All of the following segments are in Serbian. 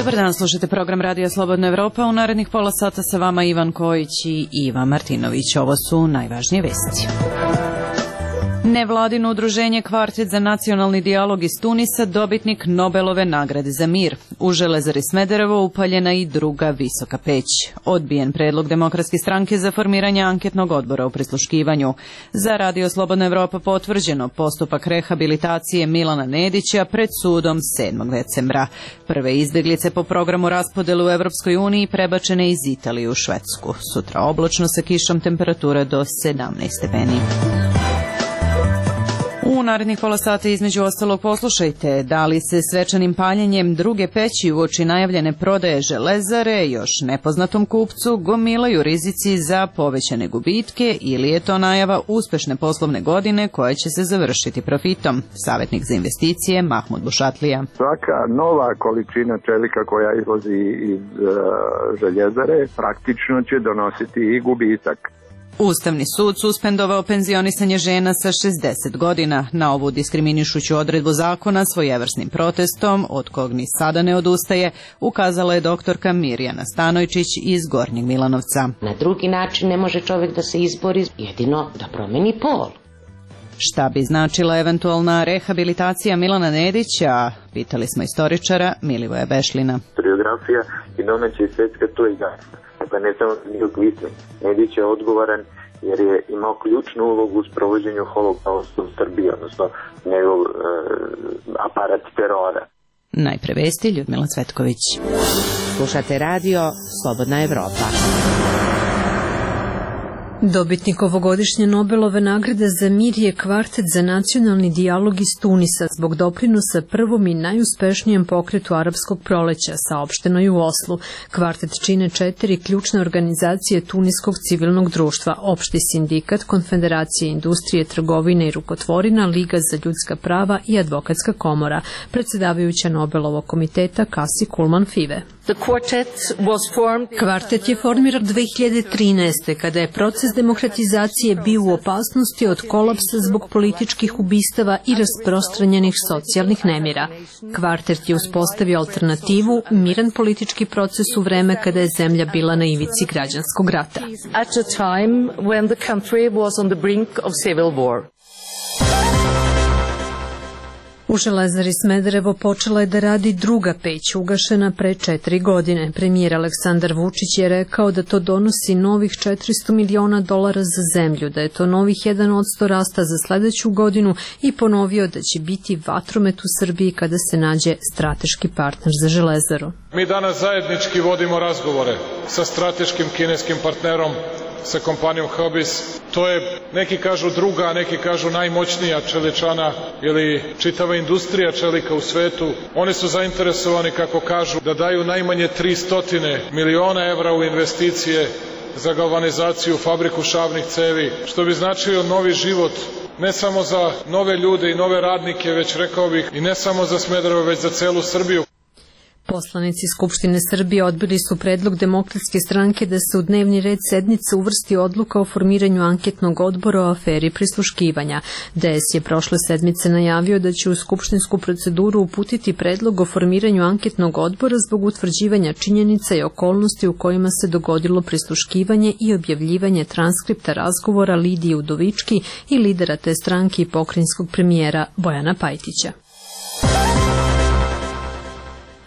Dobar dan, slušajte program Radija Slobodna Evropa. U narednih pola sata sa vama Ivan Kojić i Iva Martinović. Ovo su najvažnije vesti. Nevladino udruženje Kvartet za nacionalni dijalog iz Tunisa, dobitnik Nobelove nagrade za mir. U Železari Smederevo upaljena i druga visoka peć. Odbijen predlog Demokratske stranke za formiranje anketnog odbora u prisluškivanju. Za Radio Slobodna Evropa potvrđeno postupak rehabilitacije Milana Nedića pred sudom 7. decembra. Prve izbjeglice po programu raspodelu u Evropskoj uniji prebačene iz Italije u Švedsku. Sutra oblačno sa kišom, temperatura do 17 stepeni. U narednih pola sata između ostalog poslušajte da li se svečanim paljenjem druge peći uoči najavljene prodaje Železare još nepoznatom kupcu gomilaju rizici za povećane gubitke ili je to najava uspešne poslovne godine koja će se završiti profitom. Savjetnik za investicije Mahmud Bušatlija. Svaka nova količina čelika koja izlazi iz Željezare praktično će donositi i gubitak. Ustavni sud suspendovao penzionisanje žena sa 60 godina. Na ovu diskriminišuću odredbu zakona svojevrsnim protestom, od kog ni sada ne odustaje, ukazala je doktorka Mirjana Stanojčić iz Gornjeg Milanovca. Na drugi način ne može čovjek da se izbori, jedino da promeni pol. Šta bi značila eventualna rehabilitacija Milana Nedića? Pitali smo istoričara Milivoja Bešlina. Historiografija i domaća i svetska, to je jasno. Dakle, ne samo Nedić je odgovoran jer je imao ključnu ulogu u sprovođenju holokausta u Srbiji, odnosno njegov aparat terora. Najpre vesti, Ljudmila Cvetković. Slušate radio Slobodna Evropa. Dobitnik ovogodišnje Nobelove nagrade za mir je Kvartet za nacionalni dijalog iz Tunisa zbog doprinosa prvom i najuspešnijem pokretu arapskog proleća, saopšteno je u Oslu. Kvartet čine 4 ključne organizacije tuniskog civilnog društva, Opšti sindikat, Konfederacija industrije, trgovine i rukotvorina, Liga za ljudska prava i Advokatska komora. Predsedavajuća Nobelovog komiteta Kasi Kulman Five. Kvartet je formiran 2013. kada je proces demokratizacije bio u opasnosti od kolapsa zbog političkih ubistava i rasprostranjenih socijalnih nemira. Kvartet je uspostavio alternativu, miran politički proces u vreme kada je zemlja bila na ivici građanskog rata. U Železari Smederevo počela je da radi druga peć, ugašena pre 4 godine. Premijer Aleksandar Vučić je rekao da to donosi novih $400 miliona za zemlju, da je to novih 1% rasta za sledeću godinu i ponovio da će biti vatromet u Srbiji kada se nađe strateški partner za Železaru. Mi danas zajednički vodimo razgovore sa strateškim kineskim partnerom, sa kompanijom Hobis. To je, neki kažu druga, a neki kažu najmoćnija čeličana ili čitava industrija čelika u svetu. Oni su zainteresovani, kako kažu, da daju najmanje 300 miliona evra u investicije za galvanizaciju, fabriku šavnih cevi, što bi značio novi život, ne samo za nove ljude i nove radnike, već rekao bih i ne samo za Smederevo, već za celu Srbiju. Poslanici Skupštine Srbije odbili su predlog Demokratske stranke da se u dnevni red sednice uvrsti odluka o formiranju anketnog odbora o aferi prisluškivanja. DS je prošle sedmice najavio da će u skupštinsku proceduru uputiti predlog o formiranju anketnog odbora zbog utvrđivanja činjenica i okolnosti u kojima se dogodilo prisluškivanje i objavljivanje transkripta razgovora Lidije Udovički i lidera te stranke i pokrajinskog premijera Bojana Pajtića.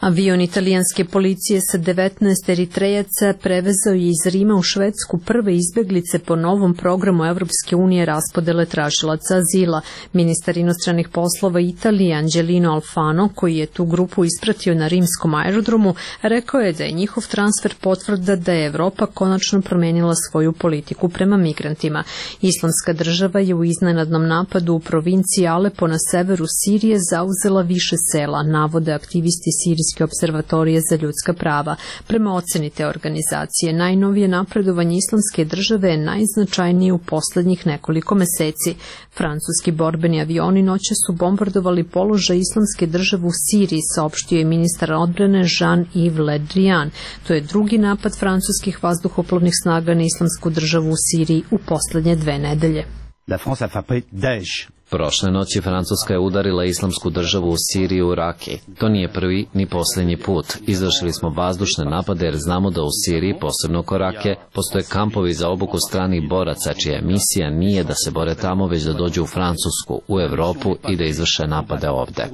Avion italijanske policije sa 19 Eritrejaca prevezao je iz Rima u Švedsku prve izbeglice po novom programu Evropske unije raspodele tražilaca azila. Ministar inostranih poslova Italije Angelino Alfano, koji je tu grupu ispratio na rimskom aerodromu, rekao je da je njihov transfer potvrda da je Evropa konačno promenila svoju politiku prema migrantima. Islamska država je u iznenadnom napadu u provinciji Alepo na severu Sirije zauzela više sela, navode aktivisti Sirijske observatorije za ljudska prava. Prema oceni te organizacije, najnovije napredovanje Islamske države je najznačajnije u poslednjih nekoliko meseci. Francuski borbeni avioni noće su bombardovali položaj Islamske države u Siriji, saopštio je ministar odbrane Jean-Yves Le Drian. To je drugi napad francuskih vazduhoplovnih snaga na Islamsku državu u Siriji u poslednje 2 nedelje. La France a frappé Daesh. Prošle noći Francuska je udarila islamsku državu u Siriji i u Raki. To nije prvi ni posljednji put. Izvršili smo vazdušne napade jer znamo da u Siriji, posebno oko Rake, postoje kampovi za obuku stranih boraca čija misija nije da se bore tamo, već da dođu u Francusku, u Evropu i da izvrše napade ovde.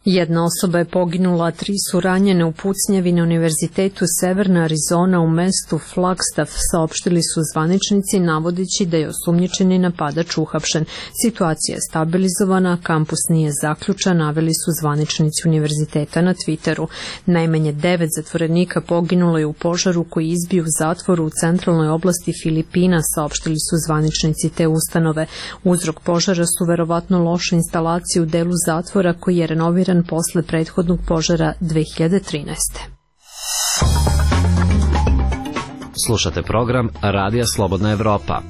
Jedna osoba je poginula, 3 su ranjene u pucnjavi na Univerzitetu Severna Arizona u mestu Flagstaff, saopštili su zvaničnici navodeći da je osumnjičeni napadač uhapšen. Situacija je stabilizovana, kampus nije zaključan, naveli su zvaničnici univerziteta na Twitteru. Najmanje 9 zatvorenika poginulo je u požaru koji izbio u zatvoru u centralnoj oblasti Filipina, saopštili su zvaničnici te ustanove. Uzrok požara su verovatno loše instalacije u delu zatvora koji je renoviran posle prethodnog požara 2013. Slušate program Radija Slobodna Evropa.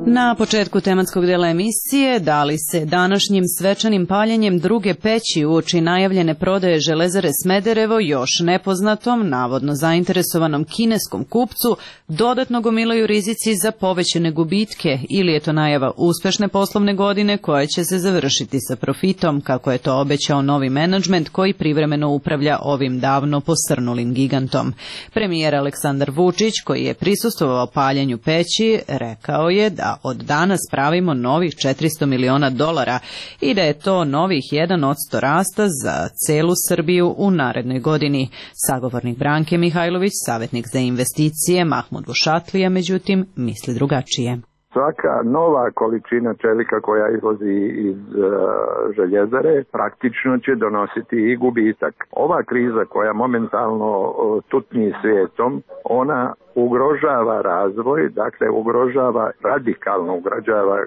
Na početku tematskog dela emisije da li se današnjim svečanim paljenjem druge peći uoči najavljene prodaje Železare Smederevo još nepoznatom, navodno zainteresovanom kineskom kupcu dodatno gomilaju rizici za povećane gubitke ili je to najava uspešne poslovne godine koja će se završiti sa profitom, kako je to obećao novi menadžment koji privremeno upravlja ovim davno posrnulim gigantom. Premijer Aleksandar Vučić, koji je prisustvovao paljenju peći, rekao je da od danas pravimo novih $400 miliona i da je to novih 1% rasta za celu Srbiju u narednoj godini. Sagovornik Branke Mihajlović, savjetnik za investicije Mahmud Bušatlija, međutim, misli drugačije. Svaka nova količina čelika koja izlazi iz željezare praktično će donositi i gubitak. Ova kriza koja momentalno tutnji svijetom, ona ugrožava razvoj, dakle radikalno ugrožava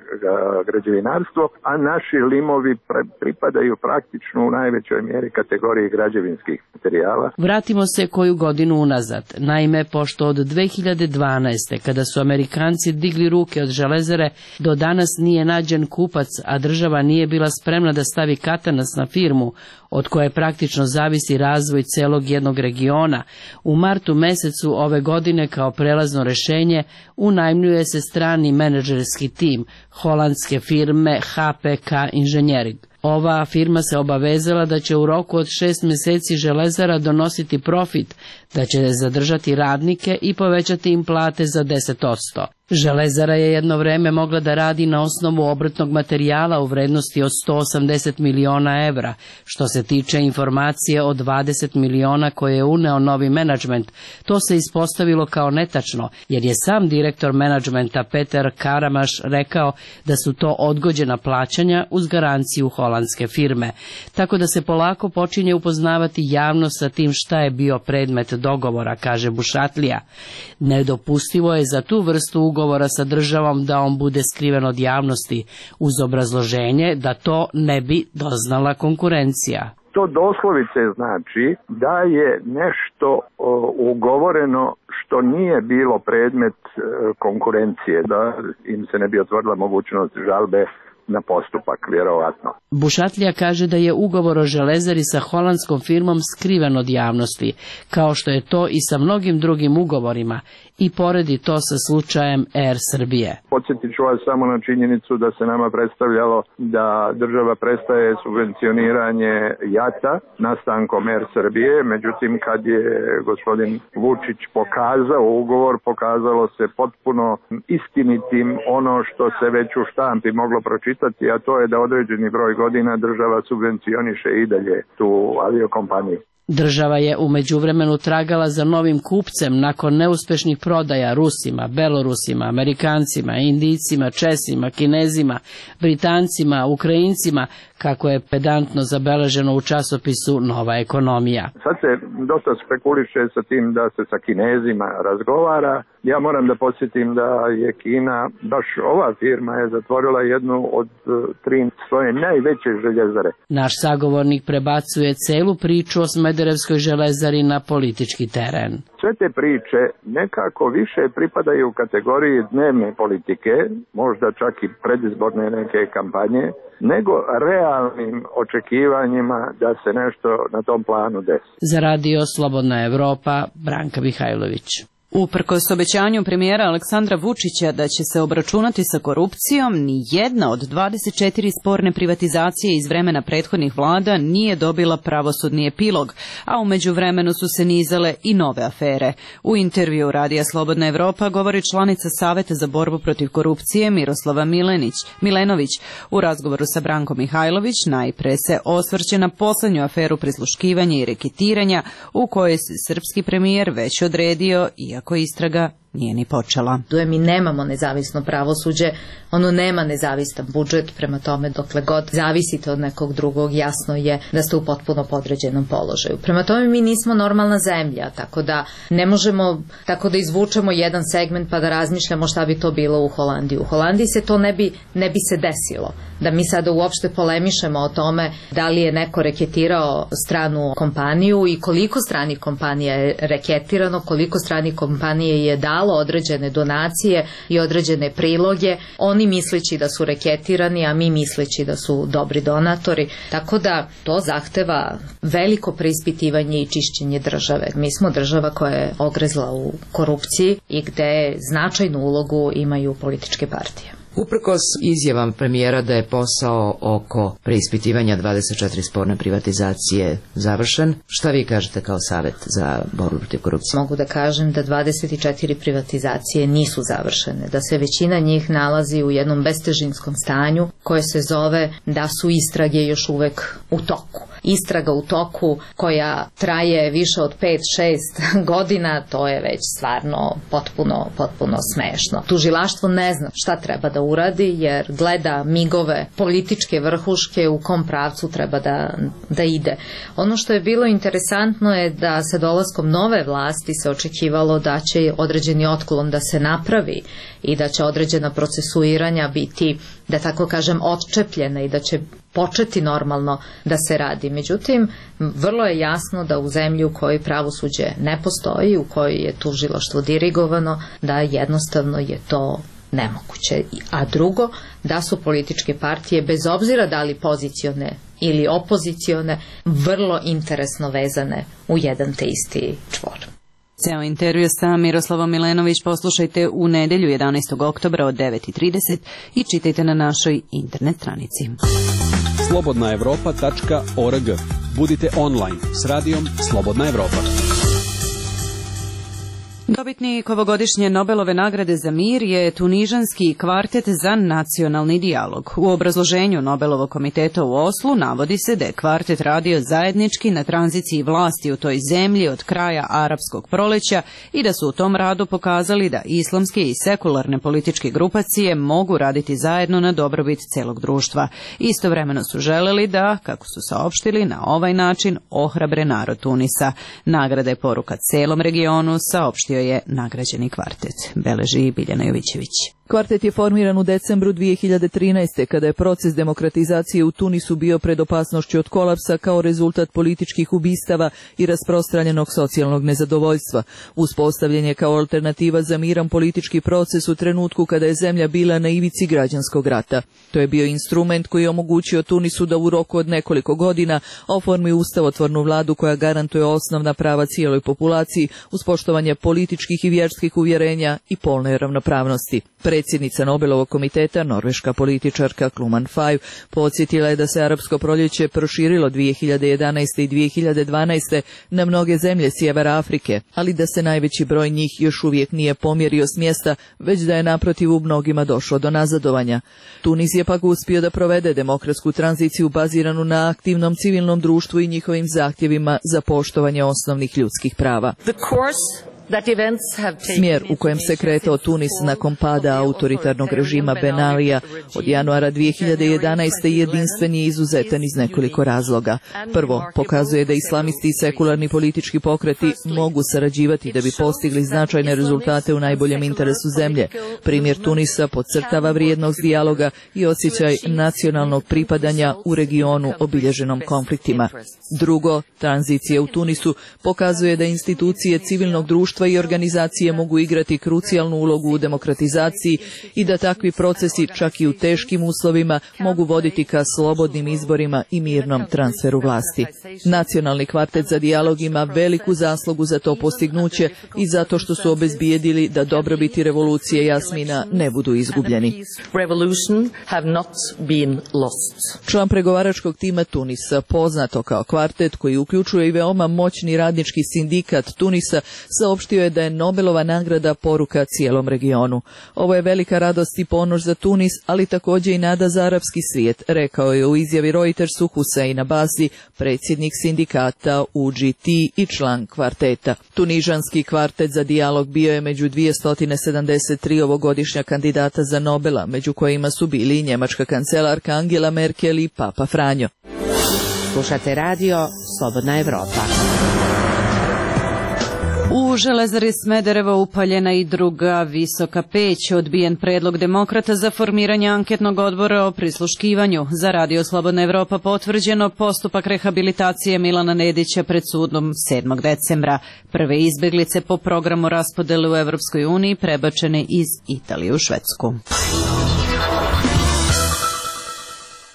građevinarstvo, a naši limovi pripadaju praktično u najvećoj mjeri kategoriji građevinskih materijala. Vratimo se koju godinu unazad. Naime, pošto od 2012. kada su Amerikanci digli ruke od Železare, do danas nije nađen kupac, a država nije bila spremna da stavi katanac na firmu od koje praktično zavisi razvoj celog jednog regiona, u martu mesecu ove godine kao prelazno rešenje unajmljuje se strani menadžerski tim holandske firme HPK Engineering. Ova firma se obavezala da će u roku od 6 meseci Železara donositi profit, da će zadržati radnike i povećati im plate za 10%. Železara je jedno vreme mogla da radi na osnovu obrtnog materijala u vrednosti od 180 miliona evra. Što se tiče informacije o 20 miliona koje je uneo novi menadžment, to se ispostavilo kao netačno, jer je sam direktor menadžmenta Peter Karamaš rekao da su to odgođena plaćanja uz garanciju holandske firme. Tako da se polako počinje upoznavati javnost sa tim šta je bio predmet dogovora, kaže Bušatlija. Nedopustivo je za tu vrstu ugovora sa državom da on bude skriven od javnosti, uz obrazloženje da to ne bi doznala konkurencija. To doslovice znači da je nešto ugovoreno što nije bilo predmet konkurencije, da im se ne bi otvorila mogućnost žalbe na postupak, vjerovatno. Bušatlija kaže da je ugovor o Železari sa holandskom firmom skriven od javnosti, kao što je to i sa mnogim drugim ugovorima, i poredi to sa slučajem Air Srbije. Podsjetit ću vas samo na činjenicu da se nama predstavljalo da država prestaje subvencioniranje JAT-a nastankom Air Srbije, međutim kad je gospodin Vučić pokazao ugovor, pokazalo se potpuno istinitim ono što se već u štampi moglo pročitati, a to je da određeni broj godina država subvencioniše i dalje tu aviokompaniju. Država je u međuvremenu tragala za novim kupcem nakon neuspešnih prodaja Rusima, Belorusima, Amerikancima, Indijcima, Česima, Kinezima, Britancima, Ukrajincima, kako je pedantno zabeleženo u časopisu Nova ekonomija. Sad se dosta spekuliše sa tim da se sa Kinezima razgovara. Ja moram da podsjetim da je Kina, baš ova firma je zatvorila jednu od 3 svoje najveće željezare. Naš sagovornik prebacuje celu priču o Smederevskoj železari na politički teren. Sve te priče nekako više pripadaju u kategoriji dnevne politike, možda čak i predizborne neke kampanje, nego realnim očekivanjima da se nešto na tom planu desi. Za Radio Slobodna Evropa, Branka Mihajlović. Uprkos obećanju premijera Aleksandra Vučića da će se obračunati sa korupcijom, ni jedna od 24 sporne privatizacije iz vremena prethodnih vlada nije dobila pravosudni epilog, a u međuvremenu su se nizale i nove afere. U intervju Radija Slobodna Evropa govori članica Saveta za borbu protiv korupcije Miroslava Milenović. U razgovoru sa Brankom Mihajlović najpre se osvrće na poslednju aferu prisluškivanja i reketiranja u kojoj se srpski premijer već odredio, iako istraga nije ni počela. Mi nemamo nezavisno pravosuđe, ono nema nezavistan budžet, prema tome dokle god zavisite od nekog drugog, jasno je da ste u potpuno podređenom položaju. Prema tome mi nismo normalna zemlja, tako da ne možemo tako da izvučemo jedan segment pa da razmišljamo šta bi to bilo u Holandiji. U Holandiji se to ne bi se desilo. Da mi sada uopšte polemišemo o tome da li je neko reketirao stranu kompaniju i koliko stranih kompanija je reketirano, koliko stranih kompanije je dalo određene donacije i određene priloge, oni misleći da su reketirani, a mi misleći da su dobri donatori. Tako da to zahteva veliko preispitivanje i čišćenje države. Mi smo država koja je ogrezla u korupciji i gde značajnu ulogu imaju političke partije. Uprkos izjavam premijera da je posao oko preispitivanja 24 sporne privatizacije završen, šta vi kažete kao Savet za borbu protiv korupcije? Mogu da kažem da 24 privatizacije nisu završene, da se većina njih nalazi u jednom bestežinskom stanju koje se zove da su istrage još uvek u toku. Istraga u toku koja traje više od 5-6 godina, to je već stvarno potpuno smešno. Tužilaštvo ne zna šta treba da uradi jer gleda migove političke vrhuške u kom pravcu treba da ide. Ono što je bilo interesantno je da sa dolaskom nove vlasti se očekivalo da će određeni otklon da se napravi i da će određena procesuiranja biti, da tako kažem, odčepljena i da će početi normalno da se radi. Međutim, vrlo je jasno da u zemlji u kojoj pravosuđe ne postoji, u kojoj je tužilaštvo dirigovano, da jednostavno je to nemoguće. A drugo, da su političke partije, bez obzira da li pozicione ili opozicione, vrlo interesno vezane u jedan te isti čvor. Ceo intervju sa Miroslavom Milenović poslušajte u nedelju 11. oktobra od 9:30 i čitajte na našoj internet stranici. slobodnaevropa.org. Budite online s radijom Slobodna Evropa. Dobitnik ovogodišnje Nobelove nagrade za mir je tunižanski kvartet za nacionalni dijalog. U obrazloženju Nobelovog komiteta u Oslu navodi se da je kvartet radio zajednički na tranziciji vlasti u toj zemlji od kraja arapskog proleća i da su u tom radu pokazali da islamske i sekularne političke grupacije mogu raditi zajedno na dobrobit celog društva. Istovremeno su želeli da, kako su saopštili, na ovaj način ohrabre narod Tunisa. Nagrada je poruka celom regionu, saopštio je nagrađeni kvartet, beleži Biljana Jovićević. Kvartet je formiran u decembru 2013. kada je proces demokratizacije u Tunisu bio pred opasnošću od kolapsa kao rezultat političkih ubistava i rasprostranjenog socijalnog nezadovoljstva. Uspostavljen je kao alternativa za miran politički proces u trenutku kada je zemlja bila na ivici građanskog rata. To je bio instrument koji je omogućio Tunisu da u roku od nekoliko godina oformi ustavotvornu vladu koja garantuje osnovna prava cijeloj populaciji uz poštovanje političkih i vjerskih uvjerenja i polne ravnopravnosti. Predsjednica Nobelovog komiteta, norveška političarka Kluman Fajv, podsjetila je da se arapsko proljeće proširilo 2011. i 2012. na mnoge zemlje sjevera Afrike, ali da se najveći broj njih još uvijek nije pomjerio s mjesta, već da je naprotiv u mnogima došlo do nazadovanja. Tunis je pak uspio da provede demokratsku tranziciju baziranu na aktivnom civilnom društvu i njihovim zahtjevima za poštovanje osnovnih ljudskih prava. Smjer u kojem se kretao Tunis nakon pada autoritarnog režima Ben Alija od januara 2011. jedinstven je izuzetan iz nekoliko razloga. Prvo, pokazuje da islamisti i sekularni politički pokreti mogu sarađivati da bi postigli značajne rezultate u najboljem interesu zemlje. Primjer Tunisa podcrtava vrijednost dijaloga i osjećaj nacionalnog pripadanja u regionu obilježenom konfliktima. Drugo, tranzicija u Tunisu pokazuje da institucije civilnog društva društva i organizacije mogu igrati krucijalnu ulogu u demokratizaciji i da takvi procesi, čak i u teškim uslovima, mogu voditi ka slobodnim izborima i mirnom transferu vlasti. Nacionalni kvartet za dijalog ima veliku zaslugu za to postignuće i zato što su obezbijedili da dobrobiti revolucije Jasmina ne budu izgubljeni. Član pregovaračkog tima Tunisa, poznato kao kvartet koji uključuje i veoma moćni radnički sindikat Tunisa, saopštio je da je Nobelova nagrada poruka cijelom regionu. Ovo je velika radost i ponos za Tunis, ali također i nada za arapski svijet, rekao je u izjavi Reutersu Hussein Abasi, predsjednik sindikata UGT i član kvarteta. Tunižanski kvartet za dijalog bio je među 273 ovogodišnja kandidata za Nobela, među kojima su bili i njemačka kancelarka Angela Merkel i Papa Franjo. Slušate radio Slobodna Evropa. U Železari Smederevo upaljena i druga visoka peć. Odbijen predlog demokrata za formiranje anketnog odbora o prisluškivanju. Za radio Slobodna Evropa potvrđeno postupak rehabilitacije Milana Nedića pred sudom 7. decembra. Prve izbeglice po programu raspodele u Evropskoj uniji prebačene iz Italije u Švedsku.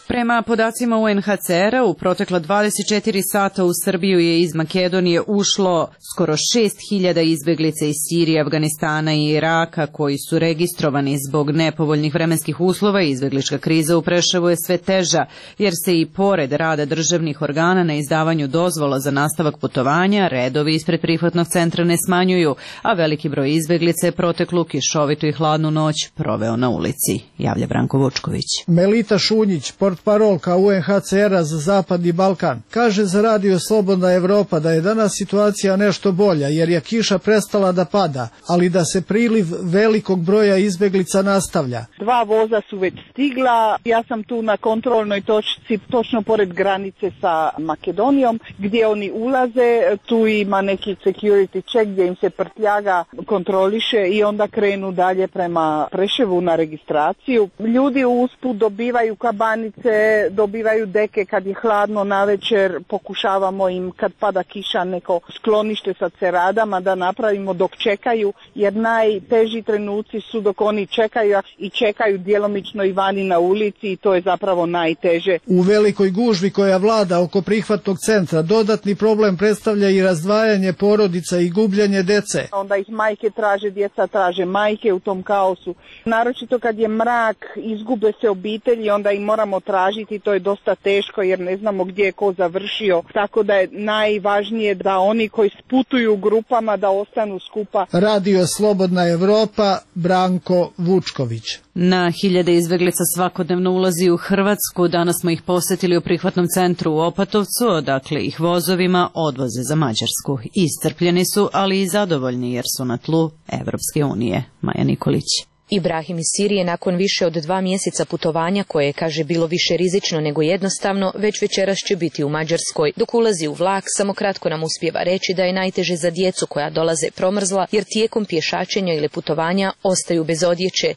Prema podacima UNHCR-a, u protekla 24 sata u Srbiju je iz Makedonije ušlo skoro 6.000 izbeglica iz Sirije, Afganistana i Iraka koji su registrovani zbog nepovoljnih vremenskih uslova. Izbeglička kriza u Preševu je sve teža, jer se i pored rada državnih organa na izdavanju dozvola za nastavak putovanja, redovi ispred prihvatnog centra ne smanjuju, a veliki broj izbeglica je proteklu kišovitu i hladnu noć proveo na ulici, javlja Branko Vučković. Melita Šunjić, portparolka UNHCR-a za Zapadni Balkan, kaže za radio Slobodna Evropa da je danas situacija nešto bolja jer je kiša prestala da pada, ali da se priliv velikog broja izbeglica nastavlja. 2 voza su već stigla, ja sam tu na kontrolnoj točci točno pored granice sa Makedonijom gdje oni ulaze, tu ima neki security check gdje im se prtljaga kontroliše i onda krenu dalje prema Preševu na registraciju. Ljudi usput dobivaju kabanice, dobivaju deke kad je hladno navečer, pokušavamo im kad pada kiša neko sklonište sa ceradama da napravimo dok čekaju, jer najteži trenuci su dok oni čekaju i čekaju djelomično i vani na ulici i to je zapravo najteže. U velikoj gužvi koja vlada oko prihvatnog centra dodatni problem predstavlja i razdvajanje porodica i gubljenje dece. Onda ih majke traže, djeca traže majke u tom kaosu. Naročito kad je mrak, izgube se obitelji, onda im moramo tražiti, to je dosta teško jer ne znamo gdje je ko završio, tako da je najvažnije da oni koji putuju u grupama da ostanu skupa. Radio Slobodna Evropa, Branko Vučković. Na hiljade izbeglica svakodnevno ulazi u Hrvatsku. Danas smo ih posjetili u prihvatnom centru u Opatovcu, odakle ih vozovima odvoze za Mađarsku. Iscrpljeni su, ali i zadovoljni jer su na tlu Evropske unije. Maja Nikolić. Ibrahim iz Sirije nakon više od 2 mjeseca putovanja, koje je, kaže, bilo više rizično nego jednostavno, već večeras će biti u Mađarskoj. Dok ulazi u vlak, samo kratko nam uspijeva reći da je najteže za djecu koja dolaze promrzla, jer tijekom pješačenja ili putovanja ostaju bez odjeće.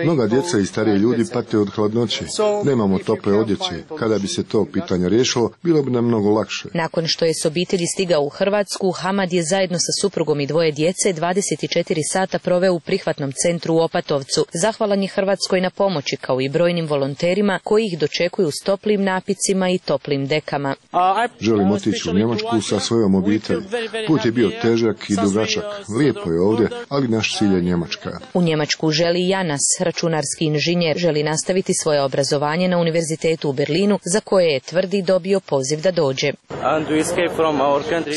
Mnoga djeca i stariji ljudi pate od hladnoće. Nemamo tople odjeće. Kada bi se to pitanje riješilo, bilo bi nam mnogo lakše. Nakon što je s obitelji stigao u Hrvatsku, Hamad je zajedno sa suprugom i 2 djece 24 sata proveo u prihvatnom centru u Opatovcu. Zahvalan je Hrvatskoj na pomoći, kao i brojnim volonterima koji ih dočekuju s toplim napicima i toplim dekama. Želim otići u Njemačku sa svojom obitelji. Put je bio težak i dugačak. Lijepo je ovdje, ali naš cilj je Njemačka. U Njemačku želi Janas, računarski inženjer, želi nastaviti svoje obrazovanje na univerzitetu u Berlinu, za koje je, tvrdi, dobio poziv da dođe.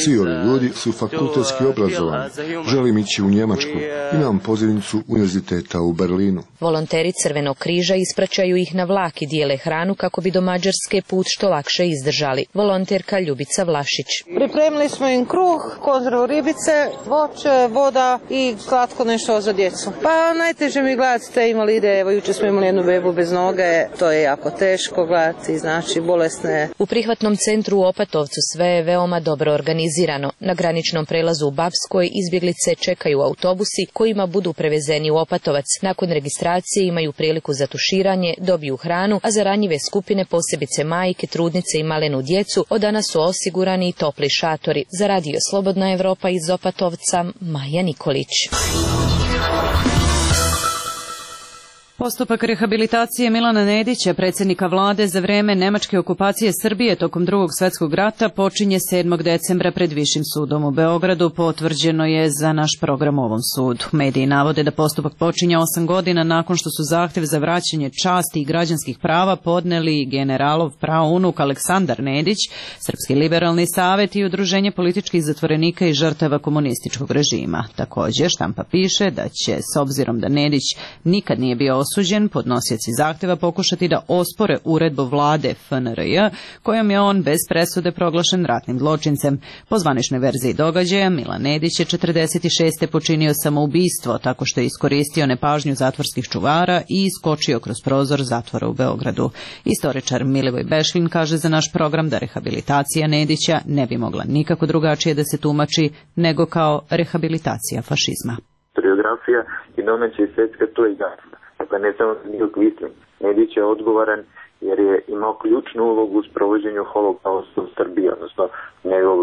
Svi ovi ljudi su fakultetski obrazovani. Želim ići u Njemačku. Imam pozivnicu univerziteta u Berlinu. Volonteri Crvenog križa ispraćaju ih na vlak i dijele hranu kako bi do Mađarske put što lakše izdržali. Volonterka Ljubica Vlašić. Pripremili smo im kruh, konzervu ribice, voće, voda i slatko nešto za djecu. Pa najteže mi gledati te invalide. Evo, jučer smo imali jednu bebu bez noge. To je jako teško gledati, znači bolesne. U prihvatnom centru u Opatovcu sve je veoma dobro organizirano. Na graničnom prelazu u Bapskoj izbjeglice čekaju autobus autobusi kojima budu prevezeni u Opatovac. Nakon registracije imaju priliku za tuširanje, dobiju hranu, a za ranjive skupine, posebice majke, trudnice i malenu djecu, od danas su osigurani i topli šatori. Za Radio Slobodna Evropa iz Opatovca, Maja Nikolić. Postupak rehabilitacije Milana Nedića, predsjednika vlade za vreme nemačke okupacije Srbije tokom Drugog svjetskog rata, počinje 7. decembra pred Višim sudom u Beogradu, potvrđeno je za naš program u ovom sudu. Mediji navode da postupak počinje 8 godina nakon što su zahtjev za vraćanje časti i građanskih prava podneli generalov praunuk Aleksandar Nedić, Srpski liberalni savjet i Udruženje političkih zatvorenika i žrtava komunističkog režima. Također, štampa piše da će, s obzirom da Nedić nikad nije bio osuđen, podnosioci zahtjeva pokušati da ospore uredbu vlade FNRJ, kojom je on bez presude proglašen ratnim zločincem. Po zvaničnoj verziji događaja, Milan Nedić je 46. počinio samoubistvo tako što je iskoristio nepažnju zatvorskih čuvara i iskočio kroz prozor zatvora u Beogradu. Istoričar Milivoj Bešlin kaže za naš program da rehabilitacija Nedića ne bi mogla nikako drugačije da se tumači nego kao rehabilitacija fašizma. Historiografija i domaća i svjetska, to je jasno. Dakle, ne samo Nil Kvisling. Nedić je odgovoran jer je imao ključnu ulogu u sprovođenju holokausta u Srbiji, odnosno njegov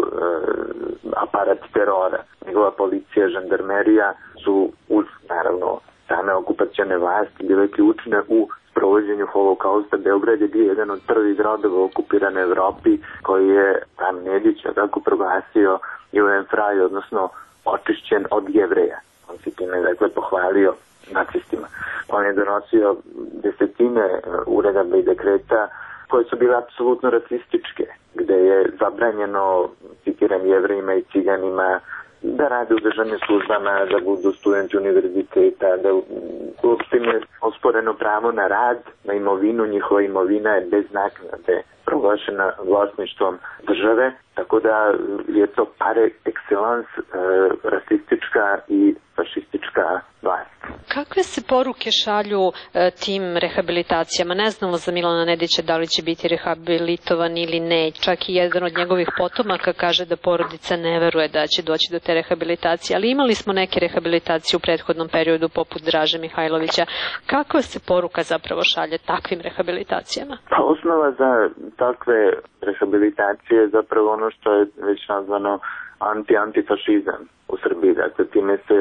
aparat terora. Njegova policija, žandarmerija su uz, naravno, same okupacione vlasti bile ključne u sprovođenju holokausta. Beograd je bio jedan od prvih gradova u okupiranoj Evropi koji je tam Nedić tako proglasio Judenfrei, odnosno očišćen od Jevreja. On se time, dakle, pohvalio nacistima. On je donosio desetine uredaba i dekreta koje su bile apsolutno rasističke, gde je zabranjeno, citiram, Jevrejima i Ciganima da rade u državnim službama, da budu studenti univerziteta, da uopšte im je osporeno pravo na rad, na imovinu. Njihova imovina je bez naknade proglašena vlasništvom države, tako da je to par excellence rasistička i fašistička vlast. Kakve se poruke šalju tim rehabilitacijama? Ne znamo za Milana Nedića da li će biti rehabilitovan ili ne. Čak i jedan od njegovih potomaka kaže da porodica ne veruje da će doći do te rehabilitacije. Ali imali smo neke rehabilitacije u prethodnom periodu poput Draže Mihajlovića. Kakva se poruka zapravo šalje takvim rehabilitacijama? Pa osnova za takve rehabilitacije je zapravo ono što je već nazvano antifašizam u Srbiji. Dakle, time se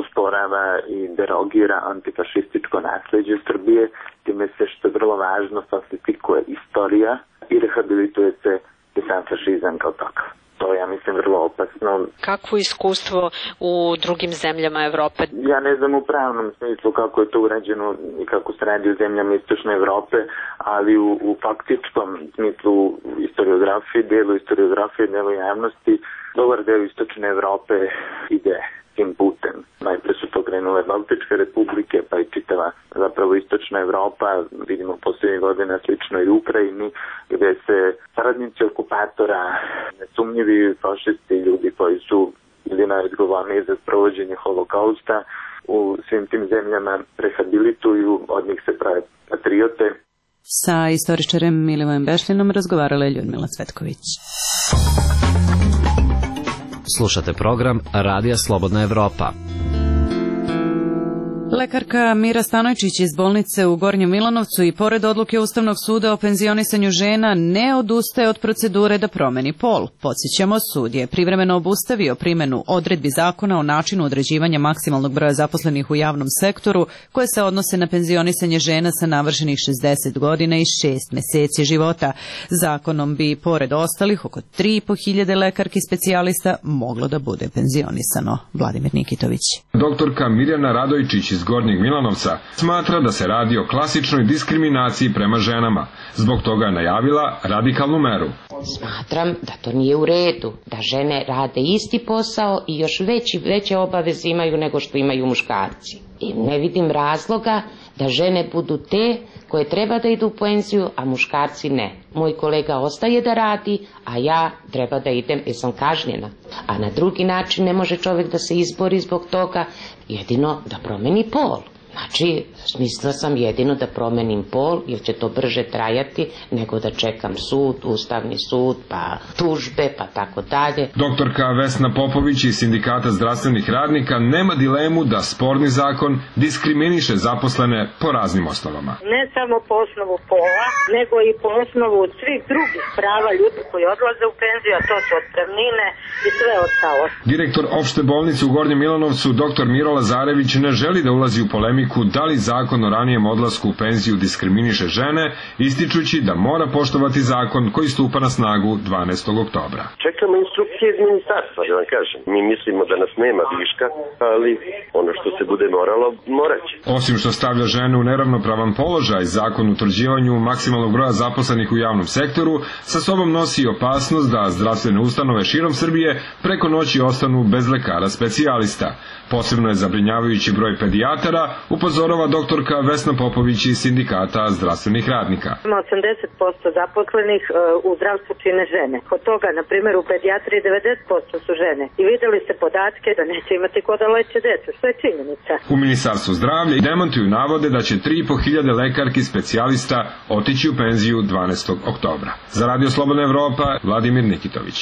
osporava i derogira antifašističko nasljeđe Srbije, time se, što je vrlo važno, falsifikuje istorija i rehabilituje se i sam fašizam kao takav. To je, ja mislim, vrlo opasno. Kakvo iskustvo u drugim zemljama Evrope? Ja ne znam u pravnom smislu kako je to urađeno i kako se radi u zemljama Istočne Evrope, ali u faktičkom smislu historiografije, delu javnosti, dobar deo Istočne Evrope ide tim putem. Najpre su to krenule Baltičke republike, pa i čitava zapravo Istočna Evropa, vidimo posljednjih godina slično i u Ukrajini, gdje se saradnici okupatora, nesumnjivi fašisti, ljudi koji su bili najodgovorniji za sprovođenje holokausta, u svim tim zemljama rehabilituju, od njih se prave patriote. Sa istoričarem Milivojem Bešlinom razgovarala je Ljudmila Cvetković. Slušate program Radija Slobodna Evropa. Lekarka Mira Stanojčić iz bolnice u Gornjem Milanovcu i pored odluke Ustavnog suda o penzionisanju žena ne odustaje od procedure da promeni pol. Podsjećamo, sud je privremeno obustavio primjenu odredbi zakona o načinu određivanja maksimalnog broja zaposlenih u javnom sektoru koje se odnose na penzionisanje žena sa navršenih 60 godina i 6 mjeseci života. Zakonom bi, pored ostalih, oko 3.500 lekarki specijalista moglo da bude penzionisano. Vladimir Nikitović. Doktorka Mirjana Radojčić iz Gornjeg Milanovca smatra da se radi o klasičnoj diskriminaciji prema ženama. Zbog toga je najavila radikalnu meru. Smatram da to nije u redu, da žene rade isti posao i još veće obaveze imaju nego što imaju muškarci. I ne vidim razloga da žene budu te koje treba da idu u penziju, a muškarci ne. Moj kolega ostaje da radi, a ja treba da idem jer sam kažnjena. A na drugi način ne može čovjek da se izbori zbog toga, jedino da promeni pol. Znači, smislila sam jedino da promenim pol, jer će to brže trajati nego da čekam sud, Ustavni sud, pa tužbe, pa tako dalje. Doktorka Vesna Popović iz Sindikata zdravstvenih radnika nema dilemu da sporni zakon diskriminiše zaposlene po raznim osnovama. Ne samo po osnovu pola, nego i po osnovu svih drugih prava ljudi koji odlaze u penziju, a to su otpremnine i sve ostalo. Direktor opšte bolnice u Gornjem Milanovcu, dr. Miro Lazarević, ne želi da ulazi u polemiku da li zakon o ranijem odlasku u penziju diskriminiše žene, ističući da mora poštovati zakon koji stupa na snagu 12. oktobra. Čekamo instrukcije iz ministarstva, da vam kažem. Mi mislimo da nas nema viška, ali ono što se bude moralo, moraće. Osim što stavlja žene u neravnopravan položaj, zakon o utvrđivanju maksimalnog broja zaposlenih u javnom sektoru sa sobom nosi opasnost da zdravstvene ustanove širom Srbije preko noći ostanu bez lekara specijalista. Posebno je zabrinjavajući broj pedijatara, upozorava doktorka Vesna Popović iz Sindikata zdravstvenih radnika. 80% zaposlenih u zdravstvu čine žene. Od toga, na primjer, u pedijatriji 90% su žene. I videli ste podatke da neće imati ko da leče decu, što je činjenica. U Ministarstvu zdravlja demantuju navode da će 3.500 lekarki specijalista otići u penziju 12. oktobra. Za Radio Slobodna Evropa, Vladimir Nikitović.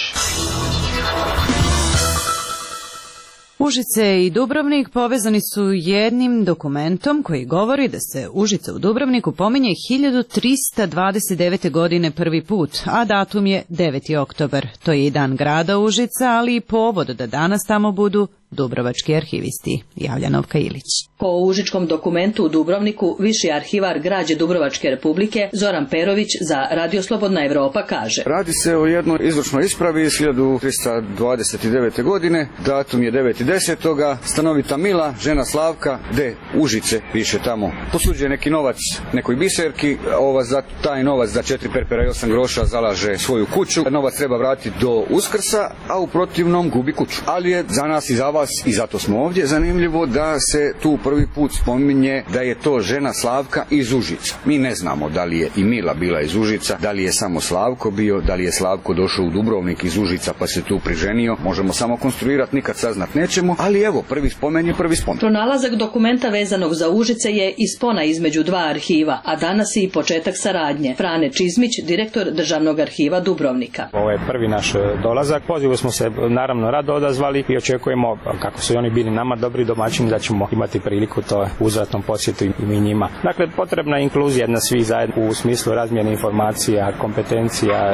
Užice i Dubrovnik povezani su jednim dokumentom koji govori da se Užice u Dubrovniku pominje 1329. godine prvi put, a datum je 9. oktobar. To je i dan grada Užica, ali i povod da danas tamo budu dubrovački arhivisti. Javlja Novka Ilić. Po užičkom dokumentu u Dubrovniku viši arhivar građe Dubrovačke republike Zoran Perović za Radio Slobodna Evropa kaže: Radi se o jednoj izvršnoj ispravi iz 1329. godine, datum je 9.10. Stanovita Mila, žena Slavka, de Užice, piše tamo. Posuđuje neki novac nekoj biserki, za taj novac za 4 perpera i 8 groša zalaže svoju kuću. Novac treba vratiti do Uskrsa, a u protivnom gubi kuću. Ali je za nas i za vas, i zato smo ovdje, zanimljivo da se tu prvi put spominje da je to žena Slavka iz Užica. Mi ne znamo da li je i Mila bila iz Užica, da li je samo Slavko bio, da li je Slavko došao u Dubrovnik iz Užica pa se tu priženio. Možemo samo konstruirati, nikad saznat nećemo, ali evo, prvi spomen je prvi spomen. Pronalazak dokumenta vezanog za Užice je i spona između dva arhiva, a danas je i početak saradnje. Frane Čizmić, direktor Državnog arhiva Dubrovnika. Ovo je prvi naš dolazak. Pozivu smo se naravno rado odazvali i očekujemo, kako su i oni bili nama dobri domaćini, da ćemo imati priliku to uzvratnom posjetu i mi njima. Dakle, potrebna je inkluzija na svi zajedno u smislu razmjene informacija, kompetencija,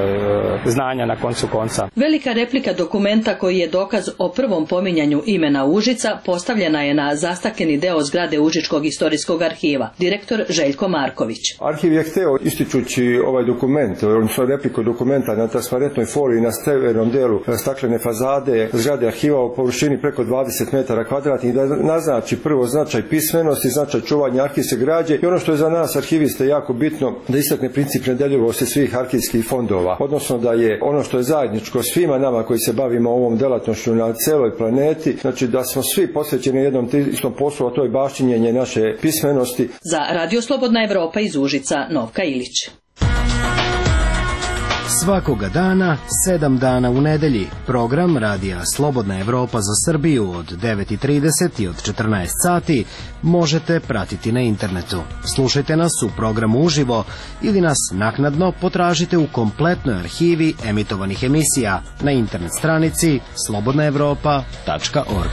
znanja na koncu konca. Velika replika dokumenta koji je dokaz o prvom pominjanju imena Užica postavljena je na zastakljeni deo zgrade Užičkog istorijskog arhiva. Direktor Željko Marković. Arhiv je hteo, ističući ovaj dokument, odnosno repliku dokumenta na transparentnoj foliji na severnom delu staklene fazade zgrade arhiva u površini preko 20 metara kvadratnih, da naznači prvo značaj pismenosti, značaj čuvanja arhivske građe i ono što je za nas arhiviste jako bitno, da istakne princip nedeljivosti svih arhivskih fondova, odnosno da je ono što je zajedničko svima nama koji se bavimo ovom delatnošću na celoj planeti, znači da smo svi posvećeni jednom istom poslu, a to je baštinjenje naše pismenosti. Za Radio Slobodna Evropa iz Užica, Novka Ilić. Svakoga dana, 7 dana u nedelji, program Radija Slobodna Evropa za Srbiju od 9.30 i od 14 sati možete pratiti na internetu. Slušajte nas u programu uživo ili nas naknadno potražite u kompletnoj arhivi emitovanih emisija na internet stranici slobodnaevropa.org.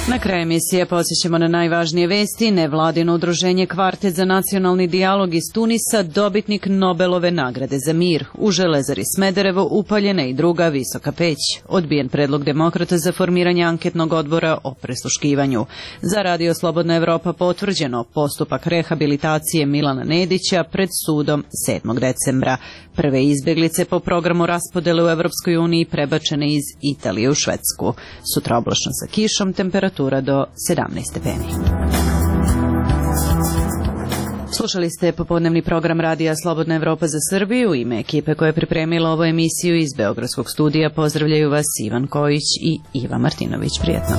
Na kraju emisije podsjećamo na najvažnije vesti. Nevladino udruženje Kvartet za nacionalni dijalog iz Tunisa, dobitnik Nobelove nagrade za mir. U Železari Smederevo upaljena i druga visoka peć. Odbijen predlog demokrata za formiranje anketnog odbora o prisluškivanju. Za Radio Slobodna Evropa potvrđeno postupak rehabilitacije Milana Nedića pred sudom 7. decembra. Prve izbjeglice po programu raspodele u Evropskoj uniji prebačene iz Italije u Švedsku. Sutra oblačno sa kišom, temperatura do 17 stepeni. Slušali ste popodnevni program Radija Slobodna Evropa za Srbiju. U ime ekipe koja je pripremila ovu emisiju iz Beogradskog studija pozdravljaju vas Ivan Kojić i Iva Martinović. Prijetno.